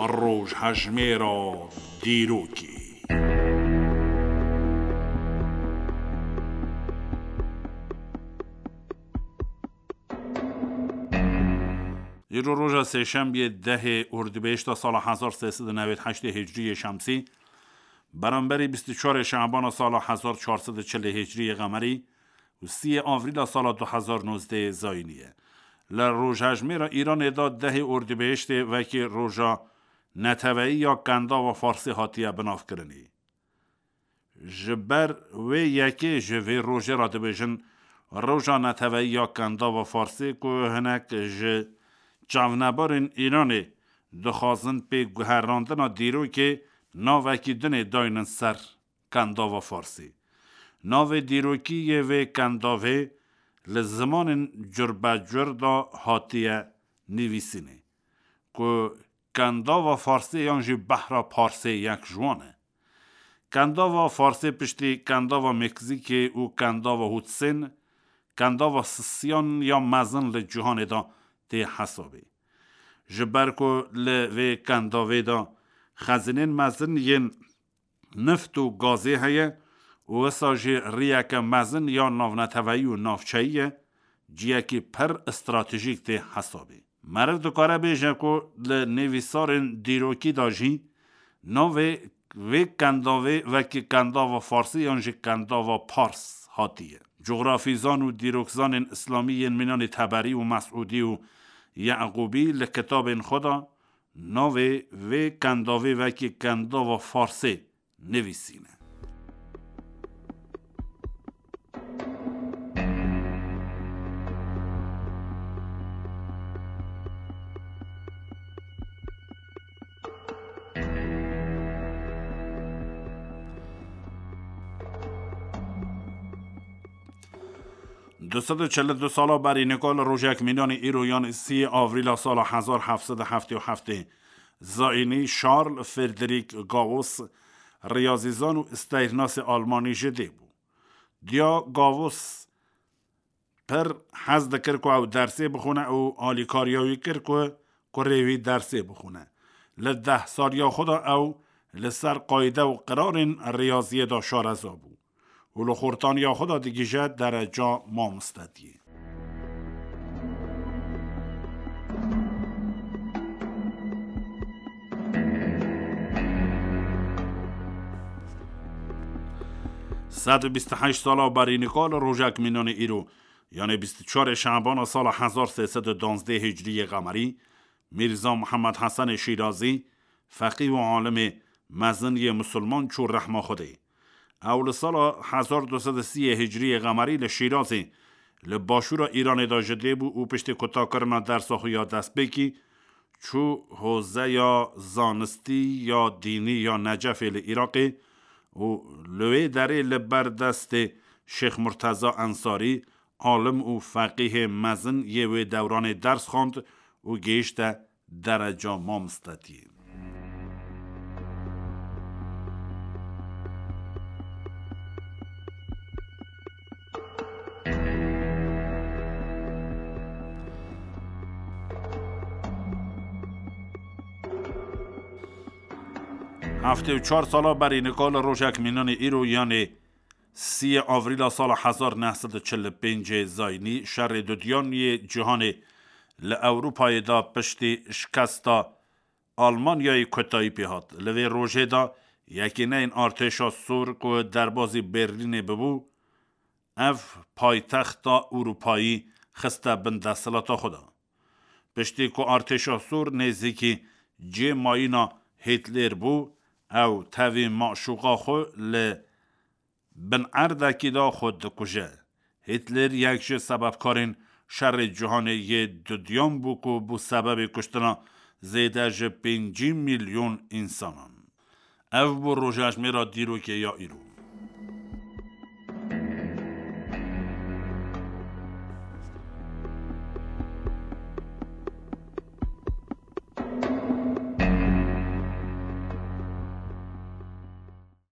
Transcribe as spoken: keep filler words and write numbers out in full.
Rojhejmêra dîrokê. Îro roja sêşembiyê dehê Ordibêhişta sala hezar sê sed û newêd heştê Hicriyê Şemsî, beramberî bîst û çarê Şabana sala hezar çar sed û çilê Hicriyê Qemerî û siyê Avrîla sala du hezar nozdehê Zayînî ye. Li rojhejmêra Îranê de dehê Ordibêhiştê wekî roja neteweyî ya Kendava Farsê hatiye binavkirinê. Ji ber wê yekê ji vê rojê re dibêjin roja neteweyî ya Kendava Farsê, ku hinek ji çavnebarên Îranê dixwazin pê guherandina dîrokê navekî dinê daynin ser Kendava Farsê. Navê dîrokî yê vê kendavê li zimanên curbecur de hatiye nivîsînê, ku Kendava Farsê yan jî Behra Parsê yek ji wan e. Kendava Farsê piştî Kendava Meksîkê û Kendava Hudsên, Kendava Sisiyan ya mezin li cîhanê de tê hesabê. Ji ber ku li vê kendavê de xezînên mezin yên nift û gazê heye û wisa jî riyeke mezin ya navneteweyî û navçeyî ye, ciyekî pir stratejîk tê hesabê. Meriv dikare bêje ku li nivîsarên dîrokî de jî navê vê kendavê wekî Kendava Farsî yan jî Kendava Pars hatiye. Cografîzan û dîrokzanên îslamî yên mînanê Teberî û Mesûdî û Yeqûbî li kitabên xwe de navê vê kendavê wekî Kendava Farsê nivîsîne. Du sed û çel û du sala berî nika li rojek mînanê îro, yanî sî Avrîla sala hezar heft sed û heftê û heftê, zayînî Charles Frederick Gauss, riyazîzan û steyrnasê almanî ji dê bû. Diya Gauss pir hez dikir ku ew dersê bixwine û alîkariya wî kir ku kurê wî dersê bixwine. Li deh saliya xwe de ew li ser qayde û qirarên riyaziyê de şareza bû û li xortaniya xwe de digihîje dereca mamostetiyê. Sed û bîst û heşt sala berî nika li rojek mînanê îro, yanê bîst û çarê Şebana sala hezar sê sed û duwazdeh Hicriyê Qemerî, Mîrza Mihemed Hesenê Şîrazî, feqî û alimê mezin yê misilman çû rehma Xwedê. Ew li sala hezar du sed û sî Hicriyê Qemerî li Şîrazê, li başûra Îranê de ji dê bû û piştî kutakirina dersa xwe ya destpêkî, çû hozeya zanistî ya dînî ya Necefê li Iraqê û li wê derê li ber destê Şêx Murteza Ensarî, alim û feqîhê mezin yê wê dewranê ders xwend û gihîşte dereca mamostetiyê. Heftê û çar sala berî nika li rojek mînanê îro, yanê sî Avrîla sala hezar neh sed û çil û pêncê zayînî, şerê dudiyan yê cîhanê li Ewropayê de piştî şikesta Almanyayê kotayî pê hat. Li vê rojê de yekîneyên artêşa sor ku derbazî Berlînê bibû, ev paytexta Ewropayî xiste bin desthilata xwe de. Piştî ku artêşa sor nêzîkî cê mayîna Hîtler bû, ew tevî maşûqa xwe li bin erdekî de xwe dikuje. Hîtler yek ji sebebkarên şerê cîhanê yê dudiyan bû ku bû sebebê kuştina zêde ji pêncî milyon însanan. Ev bû rojhejmêra dîrokê ya îro.